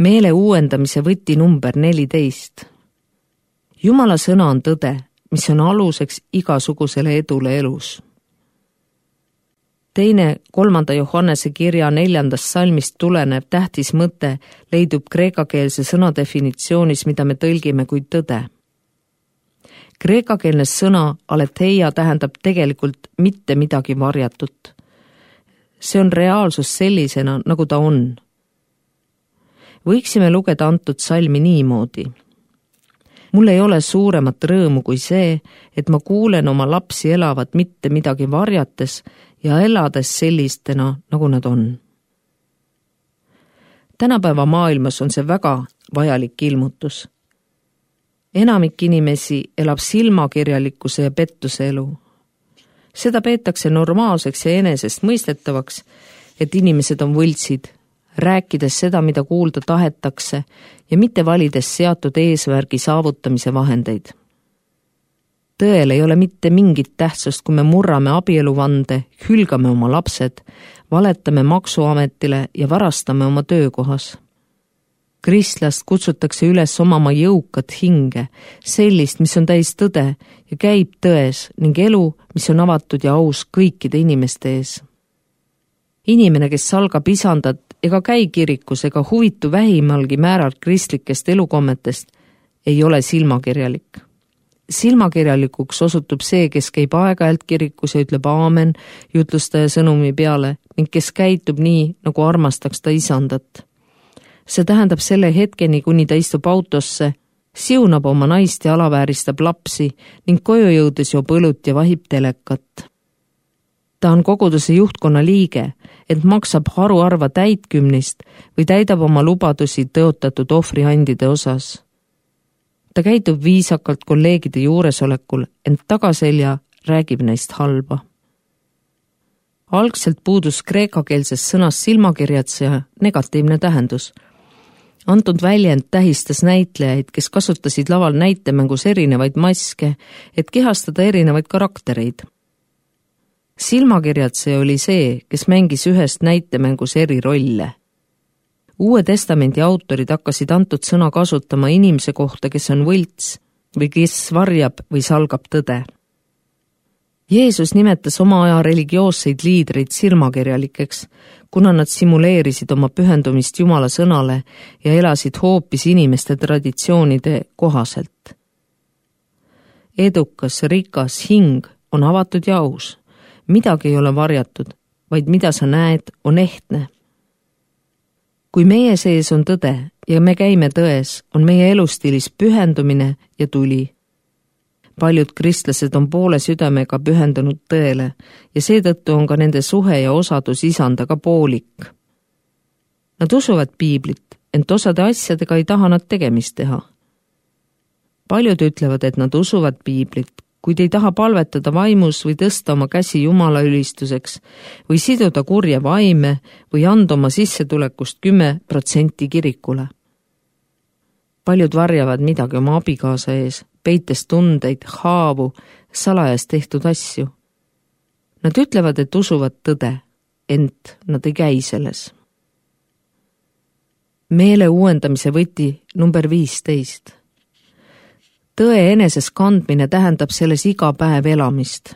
Meele uuendamise võti number 14. Jumala sõna on tõde, mis on aluseks igasugusele edule elus. 2.3. Johannese kirja 4. salmist tulenev tähtis mõte leidub kreekakeelse sõna definitsioonis, mida me tõlgime kui tõde. Kreekakeelne sõna aletheia tähendab tegelikult mitte midagi varjatut. See on reaalsus sellisena, nagu ta on. Võiksime lugeda antud salmi niimoodi. Mul ei ole suuremat rõõmu kui see, et ma kuulen oma lapsi elavat mitte midagi varjates ja elades sellistena, nagu nad on. Tänapäeva maailmas on see väga vajalik ilmutus. Enamik inimesi elab silmakirjalikkuse ja pettuse elu. Seda peetakse normaalseks ja enesest mõistetavaks, et inimesed on võltsid, rääkides seda, mida kuulda tahetakse ja mitte valides seatud eesmärgi saavutamise vahendeid. Tõel ei ole mitte mingit tähtsust, kui me murrame abieluvande, hülgame oma lapsed, valetame maksuametile ja varastame oma töökohas. Kristlast kutsutakse üles omama jõukat hinge, sellist, mis on täis tõde ja käib tões ning elu, mis on avatud ja aus kõikide inimeste ees. Inimene, kes salgab isandat ega käi kirikus ega huvitu vähimalgi määral kristlikest elukommetest, ei ole silmakirjalik. Silmakirjalikuks osutub see, kes käib aeg-ajalt kirikus ja ütleb aamen jutlustaja sõnumi peale ning kes käitub nii, nagu armastaks ta isandat. See tähendab selle hetkeni, kuni ta istub autosse, siunab oma naist ja alavääristab lapsi ning koju jõudes joob õlut ja vahib telekat. Ta on koguduse juhtkonna liige, ent maksab haruharva täitkümnist või täidab oma lubadusi tõotatud ohvriandide osas. Ta käitub viisakalt kolleegide juuresolekul, ent tagaselja räägib neist halba. Algselt puudus kreekakeelses sõnas silmakirjatseja negatiivne tähendus. Antud väljend tähistas näitlejaid, kes kasutasid laval näitemängus erinevaid maske, et kehastada erinevaid karaktereid. Silmakirjatseja oli see, kes mängis ühest näitemängus eri rolle. Uue testamendi autorid hakkasid antud sõna kasutama inimese kohta, kes on võlts või kes varjab või salgab tõde. Jeesus nimetas oma aja religioosseid liidreid silmakirjalikeks, kuna nad simuleerisid oma pühendumist Jumala sõnale ja elasid hoopis inimeste traditsioonide kohaselt. Edukas, rikas hing on avatud ja aus. Midagi ei ole varjatud, vaid mida sa näed, on ehtne. Kui meie sees on tõde ja me käime tões, on meie elustiilis pühendumine ja tuli. Paljud kristlased on poole südamega pühendunud tõele ja seetõttu on ka nende suhe ja osadus isandaga poolik. Nad usuvad piiblit, ent osade asjadega ei taha nad tegemist teha. Paljud ütlevad, et nad usuvad piiblit, kuid ei taha palvetada vaimus või tõsta oma käsi Jumala ülistuseks või siduda kurje vaime või anda oma sissetulekust 10% kirikule. Paljud varjavad midagi oma abikaasa ees, peites tundeid, haavu, salajas tehtud asju. Nad ütlevad, et usuvad tõde, ent nad ei käi selles. Meele uuendamise võti number 15. Tõe eneses kandmine tähendab selles iga päev elamist.